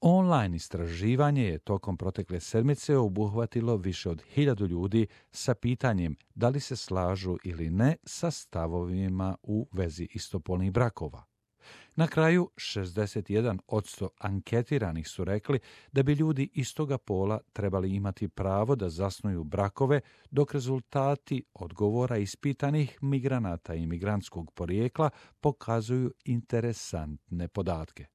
Online istraživanje je tokom protekle sedmice obuhvatilo više od 1000 ljudi sa pitanjem da li se slažu ili ne sa stavovima u vezi istopolnih brakova. Na kraju, 61% anketiranih su rekli da bi ljudi istoga pola trebali imati pravo da zasnuju brakove, dok rezultati odgovora ispitanih migranata i migrantskog porijekla pokazuju interesantne podatke.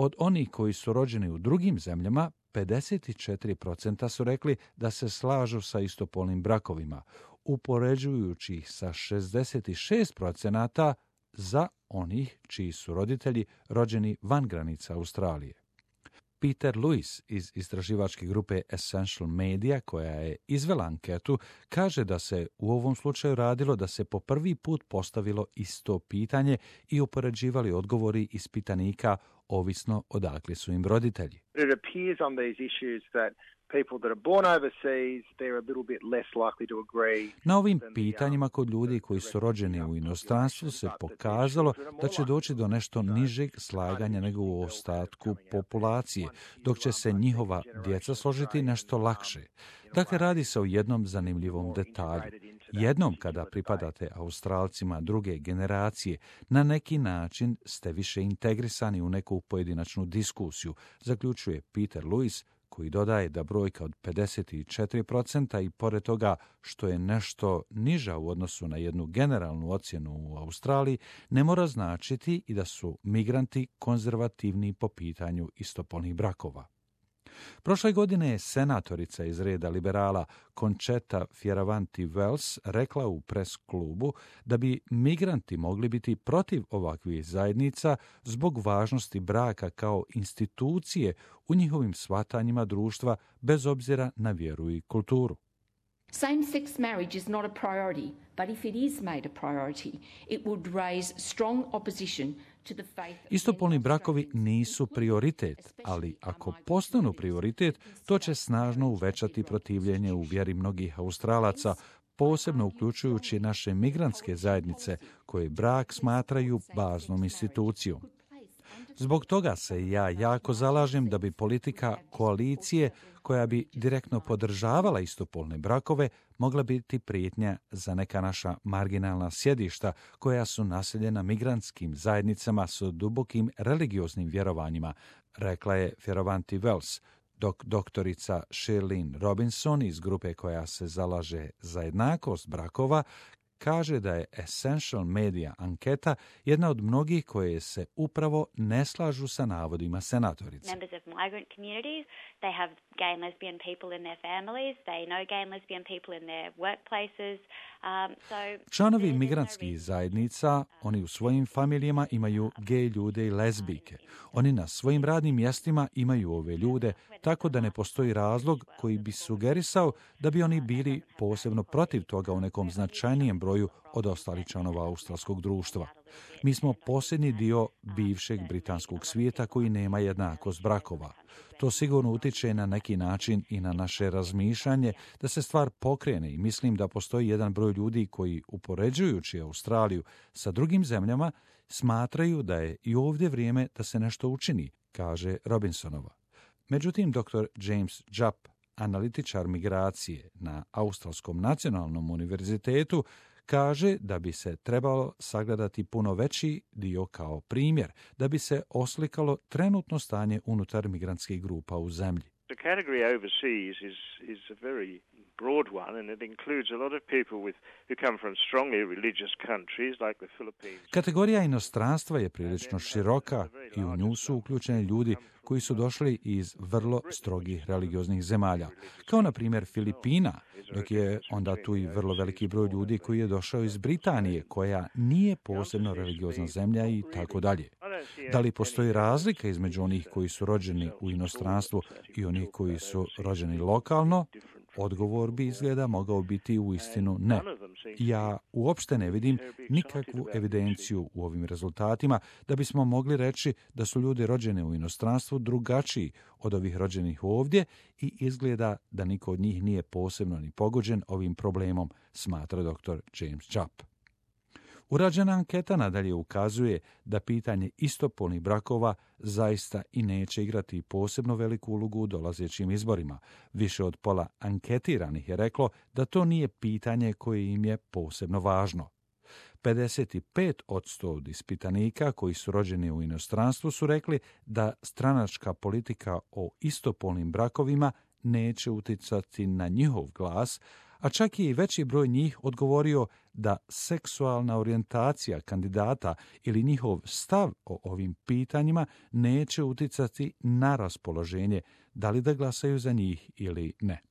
Od onih koji su rođeni u drugim zemljama, 54% su rekli da se slažu sa istopolnim brakovima, upoređujući ih sa 66% za onih čiji su roditelji rođeni van granica Australije. Peter Lewis iz istraživačke grupe Essential Media, koja je izvela anketu, kaže da se u ovom slučaju radilo da se po prvi put postavilo isto pitanje i upoređivali odgovori ispitanika ovisno odakle su im roditelji. It appears on these issues that people that are born overseas, they're a little bit less likely to agree. Na ovim pitanjima kod ljudi koji su rođeni u inostranstvu se pokazalo da će doći do nešto nižeg slaganja nego u ostatku populacije, dok će se njihova djeca složiti nešto lakše. Dakle, radi se o jednom zanimljivom detalju. Jednom kada pripadate Australcima druge generacije, na neki način ste više integrisani u neku pojedinačnu diskusiju, zaključuje Peter Lewis, koji dodaje da brojka od 54% i pored toga što je nešto niža u odnosu na jednu generalnu ocjenu u Australiji, ne mora značiti i da su migranti konzervativni po pitanju istopolnih brakova. Prošle godine je senatorica iz reda liberala Concetta Fierravanti-Wells rekla u pres klubu da bi migranti mogli biti protiv ovakvih zajednica zbog važnosti braka kao institucije u njihovim shvatanjima društva bez obzira na vjeru i kulturu. Same-sex marriage is not a priority, but if it is made a priority, it would raise strong opposition to the faith. Istopolni brakovi nisu prioritet, ali ako postanu prioritet, to će snažno uvećati protivljenje u vjeri mnogih Australaca, posebno uključujući naše migrantske zajednice koje brak smatraju baznom institucijom. Zbog toga se ja jako zalažem da bi politika koalicije koja bi direktno podržavala istopolne brakove mogla biti prijetnja za neka naša marginalna sjedišta koja su naseljena migrantskim zajednicama s dubokim religioznim vjerovanjima, rekla je Fierravanti-Wells, dok doktorica Shirlene Robinson iz grupe koja se zalaže za jednakost brakova kaže da je Essential Media anketa jedna od mnogih koje se upravo ne slažu sa navodima senatorice. Members of migrant communities, they have gay and lesbian people in their families, they know gay and lesbian people in their workplaces. Članovi migrantskih zajednica, oni u svojim familijama imaju gej ljude i lezbijke. Oni na svojim radnim mjestima imaju ove ljude, tako da ne postoji razlog koji bi sugerisao da bi oni bili posebno protiv toga u nekom značajnijem broju od ostalih članova australskog društva. Mi smo posljednji dio bivšeg britanskog svijeta koji nema jednakost brakova. To sigurno utiče na neki način i na naše razmišljanje da se stvar pokrene i mislim da postoji jedan broj ljudi koji, upoređujući Australiju sa drugim zemljama, smatraju da je i ovdje vrijeme da se nešto učini, kaže Robinsonova. Međutim, dr. James Jupp, analitičar migracije na Australskom nacionalnom univerzitetu, kaže da bi se trebalo sagledati puno veći dio kao primjer, da bi se oslikalo trenutno stanje unutar migrantskih grupa u zemlji. The category overseas is a very broad one, and it includes a lot of people who come from strongly religious countries like the Philippines. Kategorija inostranstva je prilično široka i u nju su uključeni ljudi koji su došli iz vrlo strogih religioznih zemalja, kao na primjer Filipina, dok je onda tu i vrlo veliki broj ljudi koji je došao iz Britanije, koja nije posebno religiozna zemlja i tako dalje. Da li postoji razlika između onih koji su rođeni u inostranstvu i onih koji su rođeni lokalno? Odgovor bi izgleda mogao biti u istinu ne. Ja uopšte ne vidim nikakvu evidenciju u ovim rezultatima da bismo mogli reći da su ljudi rođeni u inostranstvu drugačiji od ovih rođenih ovdje i izgleda da niko od njih nije posebno ni pogođen ovim problemom, smatra dr. James Jupp. Urađena anketa nadalje ukazuje da pitanje istopolnih brakova zaista i neće igrati posebno veliku ulogu u dolazećim izborima. Više od pola anketiranih je reklo da to nije pitanje koje im je posebno važno. 55% od ispitanika koji su rođeni u inostranstvu su rekli da stranačka politika o istopolnim brakovima neće uticati na njihov glas, a čak je i veći broj njih odgovorio da seksualna orijentacija kandidata ili njihov stav o ovim pitanjima neće uticati na raspoloženje, da li da glasaju za njih ili ne.